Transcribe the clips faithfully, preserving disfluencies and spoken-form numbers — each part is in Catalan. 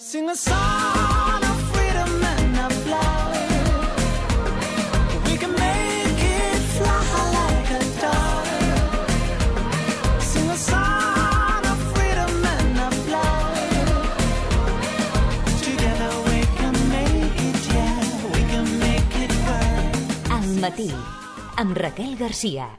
Sing a song of freedom and of love. We can make it fly like a dove. Sing a song of freedom and of love. Together we can make it, yeah, we can make it work. Al matí, amb Raquel Garcia.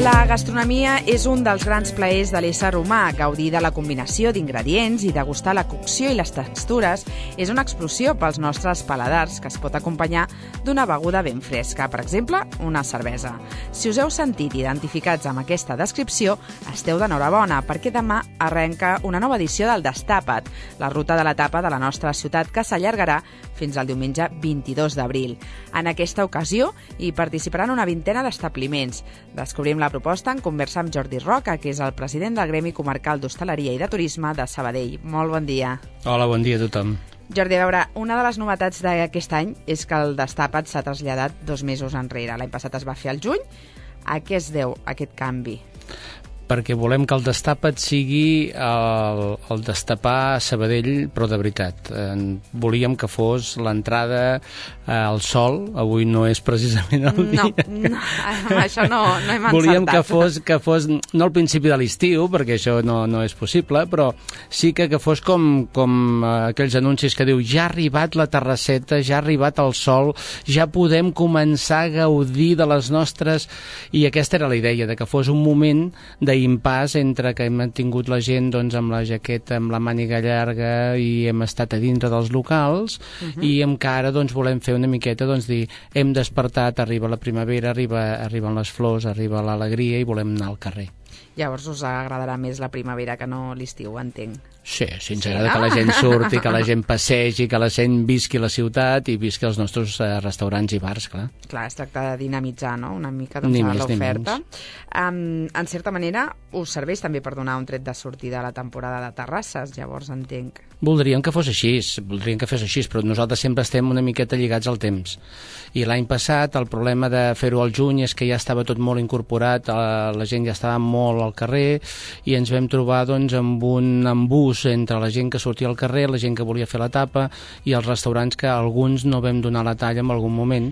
La gastronomia és un dels grans plaers de l'ésser humà. Gaudir de la combinació d'ingredients i degustar la cocció i les textures és una explosió pels nostres paladars que es pot acompanyar d'una beguda ben fresca, per exemple, una cervesa. Si us heu sentit identificats amb aquesta descripció, esteu d'enhorabona, perquè demà arrenca una nova edició del Destapa't, la ruta de la tapa de la nostra ciutat, que s'allargarà fins al diumenge vint-i-dos d'abril. En aquesta ocasió hi participaran una vintena d'establiments. Descobrim la proposta en conversa amb Jordi Roca, que és el president del Gremi Comarcal d'Hostaleria i de Turisme de Sabadell. Molt bon dia. Hola, bon dia a tothom. Jordi, a veure, una de les novetats d'aquest any és que el Destapa't s'ha traslladat dos mesos enrere. L'any passat es va fer al juny. A què es deu aquest canvi? Perquè volem que el Destapa't sigui el, el destapar Sabadell, però de veritat. Eh, volíem que fos l'entrada eh, al sol. Avui no és precisament el no, dia. No, amb això no, no hem encertat. Volíem que fos, que fos, no al principi de l'estiu, perquè això no, no és possible, però sí que, que fos com, com aquells anuncis que diu ja ha arribat la terrasseta, ja ha arribat el sol, ja podem començar a gaudir de les nostres... I aquesta era la idea, de que fos un moment de impàs entre que hem tingut la gent doncs, amb la jaqueta, amb la màniga llarga i hem estat a dintre dels locals uh-huh. i encara doncs, volem fer una miqueta doncs, dir hem despertat, arriba la primavera, arriba, arriben les flors, arriba l'alegria i volem anar al carrer. Llavors us agradarà més la primavera que no l'estiu, entenc. Sí, sí, ens agrada sí, no? que la gent surti, que la gent passegi, que la gent visqui la ciutat i visqui els nostres eh, restaurants i bars, clar. Clar, es tracta de dinamitzar, no?, una mica doncs, l'oferta. Um, en certa manera, us serveix també per donar un tret de sortida a la temporada de terrasses, llavors entenc. Voldríem que fos així, voldríem que fos així, però nosaltres sempre estem una miqueta lligats al temps. I l'any passat el problema de fer-ho al juny és que ja estava tot molt incorporat, la gent ja estava molt al carrer i ens vam trobar doncs, amb un embús entre la gent que sortia al carrer, la gent que volia fer la tapa i els restaurants que alguns no vam donar la talla en algun moment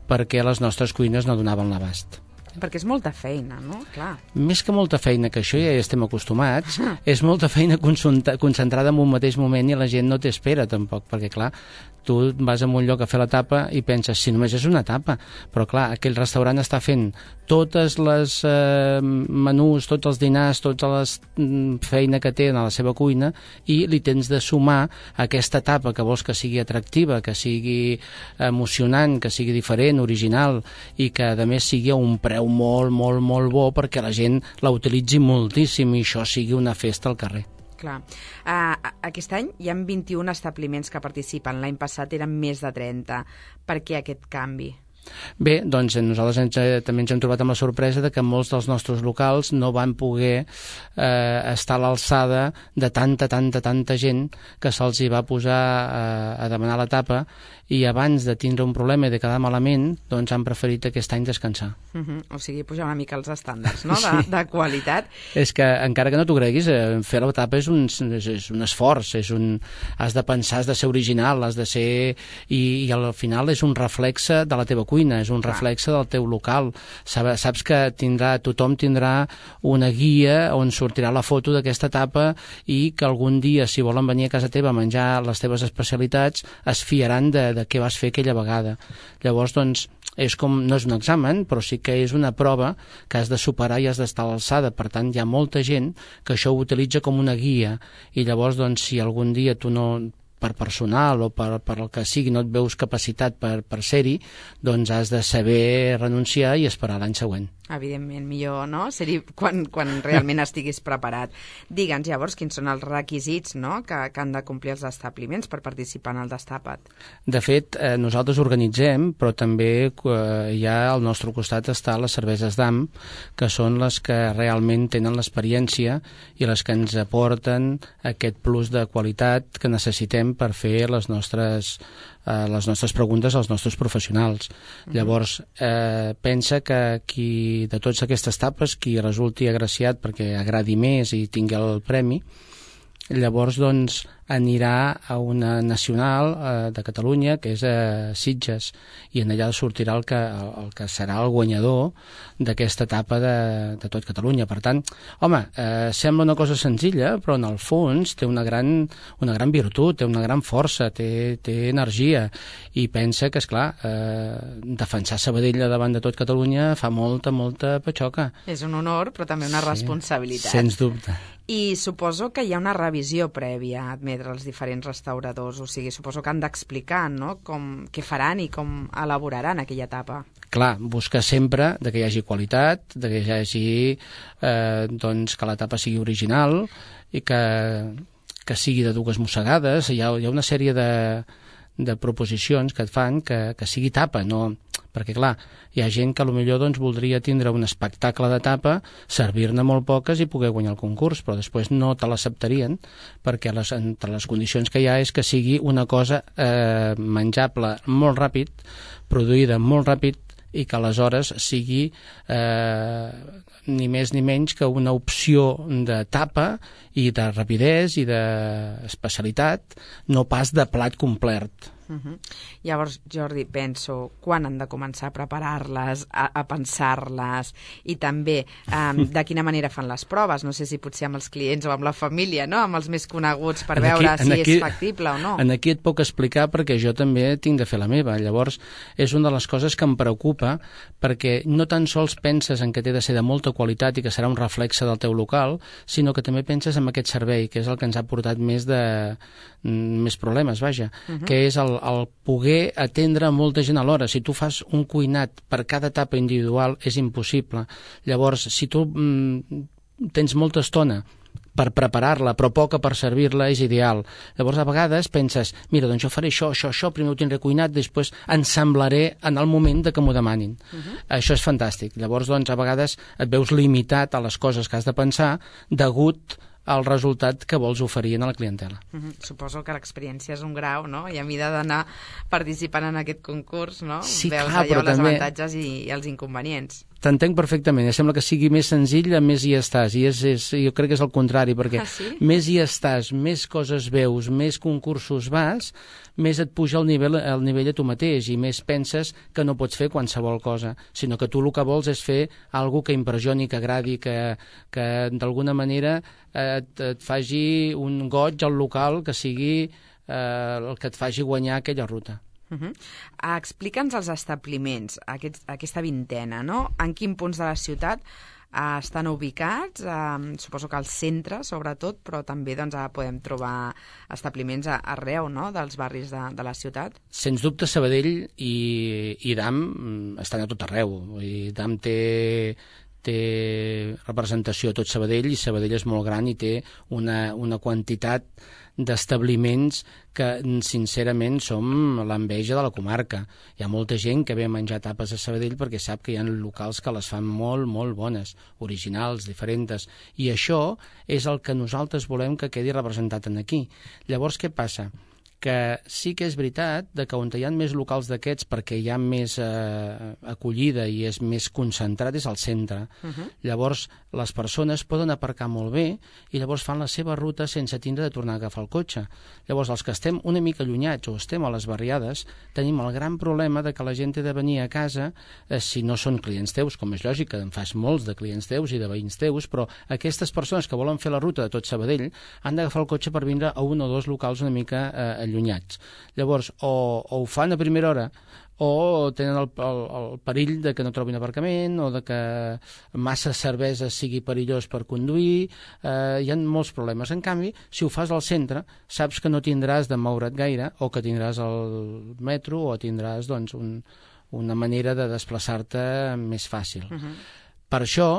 perquè les nostres cuines no donaven l'abast. Perquè és molta feina, no? Clar. Més que molta feina, que això ja hi estem acostumats, és molta feina concentrada en un mateix moment i la gent no t'espera tampoc, perquè clar, tu vas a un lloc a fer la tapa i penses, si només és una tapa, però clar, aquell restaurant està fent totes les eh, menús, tots els dinars, tota la feina que té a la seva cuina i li tens de sumar aquesta tapa que vols que sigui atractiva, que sigui emocionant, que sigui diferent, original i que a més sigui a un preu molt, molt, molt bo perquè la gent la utilitzi moltíssim i això sigui una festa al carrer. Clar. Uh, aquest any hi ha vint-i-un establiments que participen. L'any passat eren més de trenta. Per què aquest canvi? Bé, doncs nosaltres ens, també ens hem trobat amb la sorpresa de que molts dels nostres locals no van poder eh, estar a l'alçada de tanta, tanta, tanta gent que se'ls hi va posar eh, a demanar la tapa i abans de tindre un problema i de quedar malament, doncs han preferit aquest any descansar. Uh -huh. O sigui, pujar una mica els estàndards, no?, de, de qualitat. És que, encara que no t'ho creguis, eh, fer la tapa és un, és, és un esforç, és un, has de pensar, has de ser original, has de ser... I, i al final és un reflexe de la teva cuina, és un reflexe del teu local. Saps, saps que tindrà, tothom tindrà una guia on sortirà la foto d'aquesta tapa i que algun dia, si volen venir a casa teva a menjar les teves especialitats, es fiaran de, de què vas fer aquella vegada. Llavors, doncs, és com, no és un examen, però sí que és una prova que has de superar i has d'estar a l'alçada. Per tant, hi ha molta gent que això ho utilitza com una guia i llavors, doncs, si algun dia tu no... per personal o per, per el que sigui no et veus capacitat per, per ser-hi, doncs has de saber renunciar i esperar l'any següent. Evidentment, millor, no? Ser-hi quan, quan realment estiguis preparat. Digue'ns, llavors, quins són els requisits, no?, que, que han de complir els establiments per participar en el Destapa't. De fet, eh, nosaltres organitzem, però també eh, ja al nostre costat està les cerveses d'A M, que són les que realment tenen l'experiència i les que ens aporten aquest plus de qualitat que necessitem per fer les nostres eh, les nostres preguntes als nostres professionals. Mm-hmm. Llavors, eh, pensa que qui de totes aquestes tapes, qui resulti agraciat perquè agradi més i tingui el premi, llavors doncs anirà a una nacional eh, de Catalunya, que és a Sitges, i en allà sortirà el que, el, el que serà el guanyador d'aquesta etapa de, de tot Catalunya. Per tant, home, eh, sembla una cosa senzilla, però en el fons té una gran, una gran virtut, té una gran força, té, té energia, i pensa que, esclar, eh, defensar Sabadell davant de tot Catalunya fa molta, molta patxoca. És un honor, però també una sí, responsabilitat. Sens dubte. I suposo que hi ha una revisió prèvia a admetre els diferents restauradors, o sigui, suposo que han d'explicar, no?, com, què faran i com elaboraran aquella etapa. Clar, busca sempre de que hi hagi qualitat, de que hi hagi eh, doncs que l'etapa sigui original i que, que sigui de dues mossegades. Hi ha, hi ha una sèrie de, de proposicions que et fan que, que sigui tapa, no... Perquè, clar, hi ha gent que potser doncs, voldria tindre un espectacle de tapa, servir-ne molt poques i poder guanyar el concurs, però després no te l'acceptarien, perquè les, entre les condicions que hi ha és que sigui una cosa eh, menjable molt ràpid, produïda molt ràpid, i que aleshores sigui eh, ni més ni menys que una opció de tapa i de rapidesa i d'especialitat, no pas de plat complet. Uh-huh. Llavors, Jordi, penso quan han de començar a preparar-les, a, a pensar-les, i també um, de quina manera fan les proves, no sé si potser amb els clients o amb la família, no?, amb els més coneguts, per en veure aquí, si aquí, és factible o no. En aquí et puc explicar perquè jo també tinc de fer la meva. Llavors, és una de les coses que em preocupa, perquè no tan sols penses en que té de ser de molta qualitat i que serà un reflexe del teu local, sinó que també penses en aquest servei, que és el que ens ha portat més de més problemes, vaja, uh-huh. que és el, el poder atendre molta gent alhora. Si tu fas un cuinat per cada etapa individual és impossible. Llavors, si tu mm, tens molta estona per preparar-la, però poca per servir-la, és ideal. Llavors, a vegades penses, mira, doncs jo faré això, això, això, primer ho tindré cuinat, després ensamblaré en el moment de que m'ho demanin. Uh-huh. Això és fantàstic. Llavors, doncs, a vegades et veus limitat a les coses que has de pensar degut el resultat que vols oferir a la clientela. Uh-huh. Suposo que l'experiència és un grau, no?, i a mida d'anar participant en aquest concurs, no?, sí, veus clar, allò, els també... avantatges i, i els inconvenients. T'entenc perfectament, sembla que sigui més senzill, més hi estàs, i és, és, jo crec que és el contrari, perquè ah, sí? més hi estàs, més coses veus, més concursos vas, més et puja el nivell, el nivell a tu mateix, i més penses que no pots fer qualsevol cosa, sinó que tu el que vols és fer alguna que impressioni, que agradi, que, que d'alguna manera et, et faci un goig al local, que sigui eh, el que et faci guanyar aquella ruta. Uh-huh. Explica'ns els establiments, aquest, aquesta vintena, no? En quin punts de la ciutat uh, estan ubicats? Uh, suposo que al centre, sobretot, però també doncs, uh, podem trobar establiments a, arreu, no?, dels barris de, de la ciutat. Sens dubte, Sabadell i, i D A M estan a tot arreu. I D A M té... té representació a tot Sabadell, i Sabadell és molt gran i té una, una quantitat d'establiments que, sincerament, som l'enveja de la comarca. Hi ha molta gent que ve a menjar tapes a Sabadell perquè sap que hi ha locals que les fan molt, molt bones, originals, diferents, i això és el que nosaltres volem que quedi representat en aquí. Llavors, què passa? Que sí que és veritat de que on hi ha més locals d'aquests perquè hi ha més eh, acollida i és més concentrat és al centre. Uh-huh. Llavors, les persones poden aparcar molt bé i llavors fan la seva ruta sense tindre de tornar a agafar el cotxe. Llavors, els que estem una mica allunyats o estem a les barriades, tenim el gran problema de que la gent ha de venir a casa eh, si no són clients teus, com és lògic, que en fas molts de clients teus i de veïns teus, però aquestes persones que volen fer la ruta de tot Sabadell han d'agafar el cotxe per vindre a un o dos locals una mica eh, allunyats. Llavors, o, o ho fan a primera hora o tenen el, el, el perill de que no trobin aparcament o de que massa cervesa sigui perillós per conduir, eh, hi ha molts problemes. En canvi, si ho fas al centre, saps que no tindràs de moure't gaire o que tindràs el metro o tindràs doncs, un, una manera de desplaçar-te més fàcil. Uh-huh. Per això,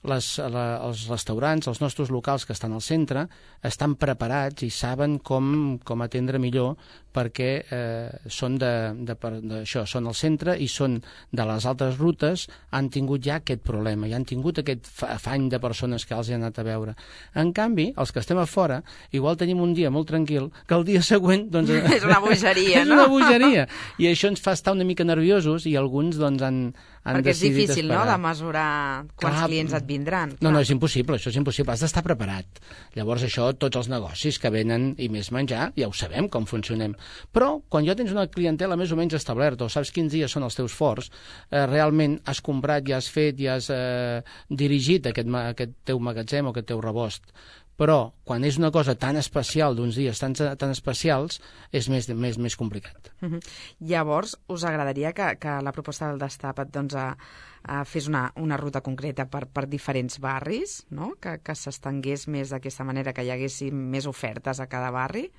les, la, els restaurants, els nostres locals que estan al centre, estan preparats i saben com, com atendre millor, perquè eh, són de, de, de, això, són al centre i són de les altres rutes, han tingut ja aquest problema, i han tingut aquest afany de persones que els han anat a veure. En canvi, els que estem a fora, igual tenim un dia molt tranquil, que el dia següent... Doncs, és una bogeria, és no? És una bogeria, i això ens fa estar una mica nerviosos, i alguns doncs, han, han perquè és decidit difícil, esperar. no?, de mesurar quants Clar, clients et vindran. No, no, és impossible, això és impossible, has d'estar preparat. Llavors això, tots els negocis que venen i més menjar, ja ho sabem com funcionem. Però quan ja tens una clientela més o menys establerta, o saps quins dies són els teus forts, eh, realment has comprat, ja has fet, ja has eh, dirigit aquest, aquest teu magatzem o aquest teu rebost. Però quan és una cosa tan especial, d'uns dies tan, tan especials, és més, més, més complicat. Uh -huh. Llavors, us agradaria que, que la proposta del Destapa't doncs, a, a fes una, una ruta concreta per, per diferents barris, no? que, que s'estengués més d'aquesta manera, que hi haguessin més ofertes a cada barri?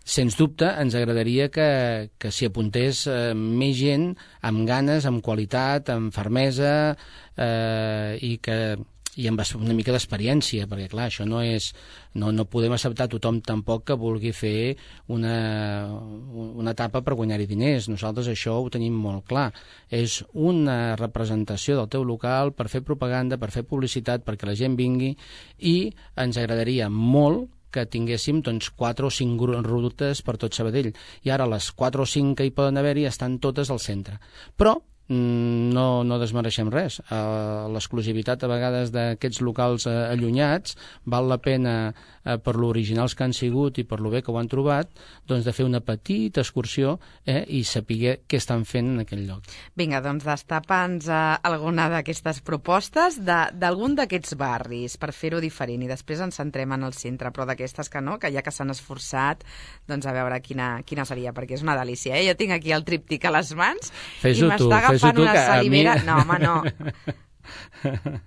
Sens dubte, ens agradaria que, que s'hi apuntés eh, més gent amb ganes, amb qualitat, amb fermesa eh, i que i amb una mica d'experiència, perquè clar, això no és, no, no podem acceptar tothom tampoc que vulgui fer una, una etapa per guanyar-hi diners. Nosaltres això ho tenim molt clar. És una representació del teu local per fer propaganda, per fer publicitat, perquè la gent vingui, i ens agradaria molt que tinguéssim doncs, quatre o cinc rutes per tot Sabadell. I ara les quatre o cinc que hi poden haver-hi estan totes al centre. Però no, no desmereixem res. Uh, l'exclusivitat a vegades d'aquests locals uh, allunyats val la pena, uh, per lo originals que han sigut i per lo bé que ho han trobat, doncs de fer una petita excursió eh, i saber què estan fent en aquell lloc. Vinga, doncs destapa'ns uh, alguna d'aquestes propostes d'algun d'aquests barris per fer-ho diferent, i després ens centrem en el centre, però d'aquestes que no, que ja que s'han esforçat, doncs a veure quina, quina seria, perquè és una delícia, eh? Jo tinc aquí el tríptic a les mans i m'està fan una salivera... Mi... No, home, no.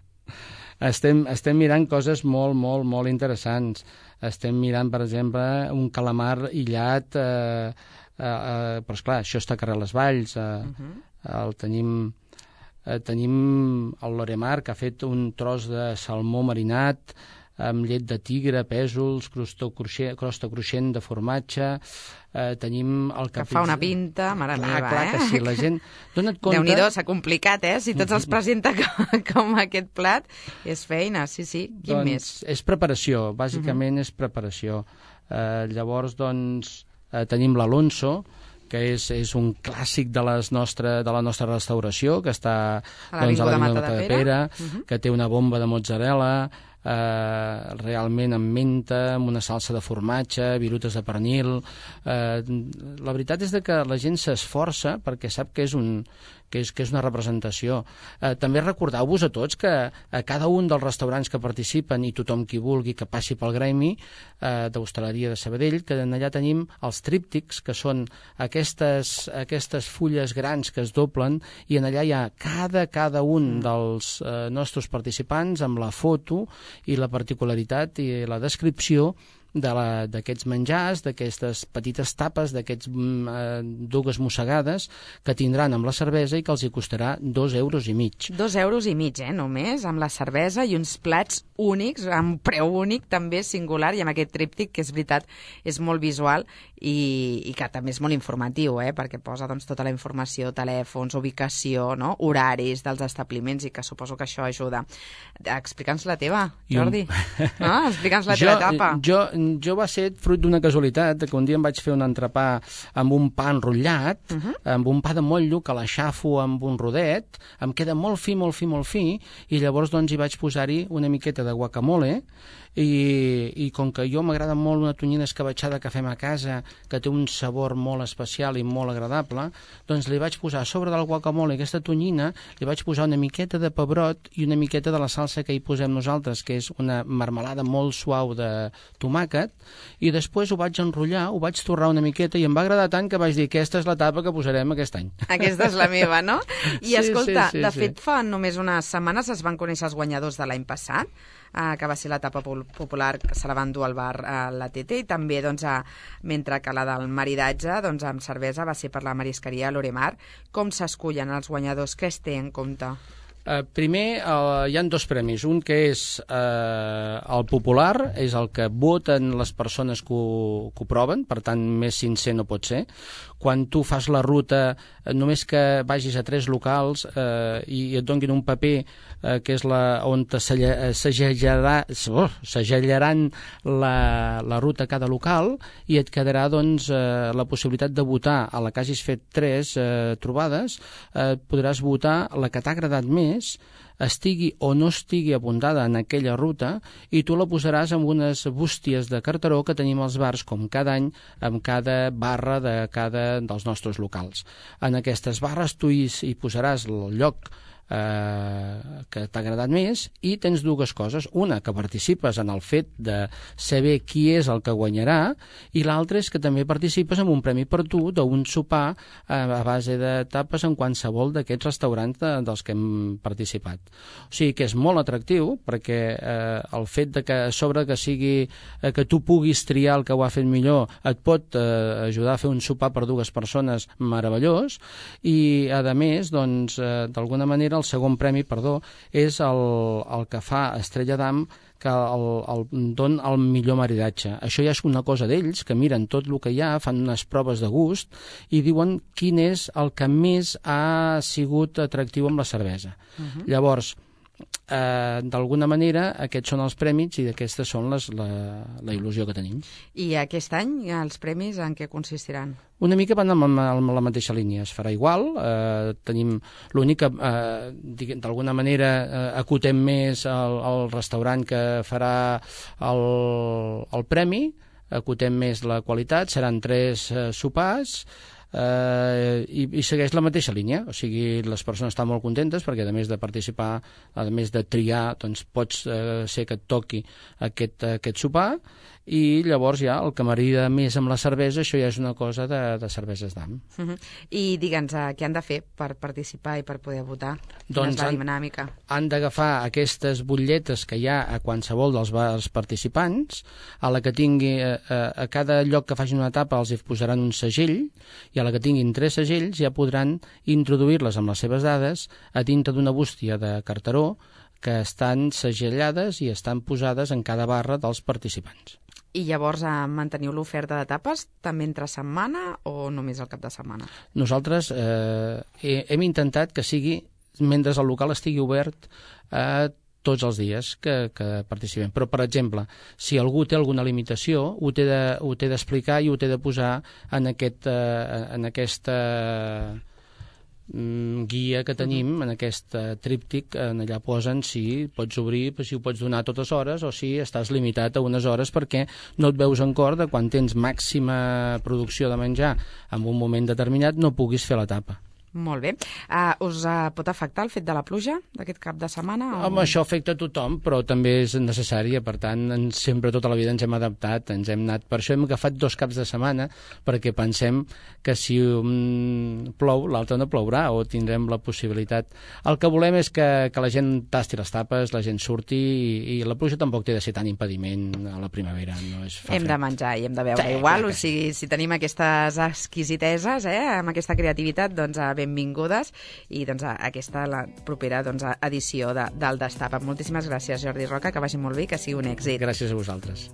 estem, estem mirant coses molt, molt, molt interessants. Estem mirant, per exemple, un calamar illat, eh, eh, eh, però esclar, això està a carrer Les Valls, eh, uh -huh. el tenim... Eh, tenim el Loremar, que ha fet un tros de salmó marinat amb llet de tigre, pèsols, crosta cruixent, crosta cruixent de formatge. Eh, tenim el que fa una pinta, mare clar, meva, clar, eh? que sí, la gent... Dona't compte... Déu-n'hi-do, s'ha complicat, eh? Si tots els presenta com, com aquest plat, és feina, sí, sí. Quin doncs, més? És preparació, bàsicament uh -huh. és preparació. Eh, llavors, doncs, eh, tenim l'Alonso, que és, és un clàssic de, les nostre, de la nostra restauració, que està a l'Avinguda doncs, Mata de Pere, uh -huh. que té una bomba de mozzarella, eh, realment amb menta, amb una salsa de formatge, virutes de pernil. Eh, la veritat és de que la gent s'esforça perquè sap que és un... Que és, que és una representació. Eh, també recordeu-vos a tots que a cada un dels restaurants que participen, i tothom qui vulgui que passi pel gremi eh, d'hostaleria de Sabadell, que allà tenim els tríptics, que són aquestes, aquestes fulles grans que es doblen, i en allà hi ha cada, cada un dels eh, nostres participants amb la foto i la particularitat i la descripció d'aquests menjars, d'aquestes petites tapes, d'aquests eh, dugues mossegades que tindran amb la cervesa i que els hi costarà dos euros i mig. Dos euros i mig, eh, només, amb la cervesa i uns plats únics, amb preu únic, també singular, i amb aquest tríptic, que és veritat, és molt visual i, i que també és molt informatiu, eh, perquè posa doncs, tota la informació, telèfons, ubicació, no? Horaris dels establiments, i que suposo que això ajuda. Explica'ns la teva, Jordi. Un... No? Explica'ns la teva etapa. Jo, jo va ser fruit d'una casualitat, que un dia em vaig fer un entrepà amb un pa enrotllat, uh -huh. amb un pa de motllo, que l'aixafo amb un rodet, em queda molt fi, molt fi, molt fi, i llavors doncs hi vaig posar-hi una miqueta de guacamole, i, i com que jo m'agrada molt una tonyina escabatxada que fem a casa, que té un sabor molt especial i molt agradable, doncs li vaig posar a sobre del guacamole aquesta tonyina, li vaig posar una miqueta de pebrot i una miqueta de la salsa que hi posem nosaltres, que és una marmelada molt suau de tomàquet, i després ho vaig enrotllar, ho vaig torrar una miqueta, i em va agradar tant que vaig dir, aquesta és l'etapa que posarem aquest any. Aquesta és la meva, no? I sí, escolta, sí, sí, de sí. fet, fa només unes setmanes es van conèixer els guanyadors de l'any passat, Uh, que va ser l'etapa popular, que se la van dur al bar a uh, la T T, i també, doncs, uh, mentre que la del maridatge, doncs, amb cervesa, va ser per la marisqueria Loremar. Com s'escullen els guanyadors? Què es té en compte? Uh, primer, uh, hi ha dos premis. Un que és uh, el popular, és el que voten les persones que ho, que ho proven, per tant, més sincer no pot ser. Quan tu fas la ruta, uh, només que vagis a tres locals uh, i et donguin un paper uh, que és la, on te segellarà, oh, segellaran la, la ruta a cada local i et quedarà doncs, uh, la possibilitat de votar a la que hagis fet tres uh, trobades, uh, podràs votar la que t'ha agradat més, estigui o no estigui apuntada en aquella ruta, i tu la posaràs en unes bústies de carteró que tenim als bars, com cada any, amb cada barra de cada dels nostres locals. En aquestes barres tu hi, hi posaràs el lloc eh, que t'ha agradat més, i tens dues coses. Una, que participes en el fet de saber qui és el que guanyarà, i l'altra és que també participes en un premi per tu d'un sopar eh, a base de tapes en qualsevol d'aquests restaurants de, dels que hem participat. O sigui que és molt atractiu, perquè eh, el fet de que a sobre que sigui eh, que tu puguis triar el que ho ha fet millor et pot eh, ajudar a fer un sopar per dues persones meravellós, i a més, doncs, eh, d'alguna manera el segon premi, perdó, és el, el que fa Estrella d'Am, que el, el, don el millor maridatge. Això ja és una cosa d'ells, que miren tot el que hi ha, fan unes proves de gust i diuen quin és el que més ha sigut atractiu amb la cervesa. Uh-huh. Llavors, eh, d'alguna manera, aquests són els prèmits i aquestes són les, la, la il·lusió que tenim. I aquest any els premis en què consistiran? Una mica van amb, amb la mateixa línia, es farà igual, eh, tenim l'únic que eh, d'alguna manera eh, acotem més el, el restaurant que farà el, el premi, acotem més la qualitat, seran tres eh, sopars, Uh, i, i segueix la mateixa línia, o sigui, les persones estan molt contentes perquè a més de participar, a més de triar, doncs pots uh, ser que et toqui aquest, aquest sopar, i llavors ja el que m'agrada més amb la cervesa, això ja és una cosa de, de cerveses d'Am. Uh-huh. I digue'ns, uh, què han de fer per participar i per poder votar? Doncs Quina és la dinàmica? Han, han d'agafar aquestes butlletes que hi ha a qualsevol dels bars participants, a la que tingui, a, a cada lloc que facin una etapa els hi posaran un segell, i a la que tinguin tres segells ja podran introduir-les amb les seves dades a dintre d'una bústia de carteró que estan segellades i estan posades en cada barra dels participants. I llavors eh, manteniu l'oferta de tapes també entre setmana o només el cap de setmana? Nosaltres eh, hem intentat que sigui, mentre el local estigui obert, eh, tots els dies que, que participem. Però, per exemple, si algú té alguna limitació, ho té de, ho té d'explicar i ho té de posar en, aquest, eh, en aquesta mm, guia que tenim, en aquest eh, tríptic, en allà posen si pots obrir, si ho pots donar a totes hores o si estàs limitat a unes hores perquè no et veus en cor de quan tens màxima producció de menjar en un moment determinat no puguis fer la tapa. Molt bé. Uh, us uh, pot afectar el fet de la pluja d'aquest cap de setmana? O... Home, això afecta a tothom, però també és necessària. Per tant, en, sempre tota la vida ens hem adaptat, ens hem anat. Per això hem agafat dos caps de setmana, perquè pensem que si un plou, l'altre no plourà, o tindrem la possibilitat. El que volem és que, que la gent tasti les tapes, la gent surti, i, i la pluja tampoc té de ser tan impediment a la primavera. No és hem de menjar i hem de beure sí, igual, o sigui, si tenim aquestes exquisiteses, eh, amb aquesta creativitat, doncs a benvingudes, i doncs aquesta la propera doncs, edició de, del Destapa. Moltíssimes gràcies, Jordi Roca, que vagi molt bé i que sigui un èxit. Gràcies a vosaltres.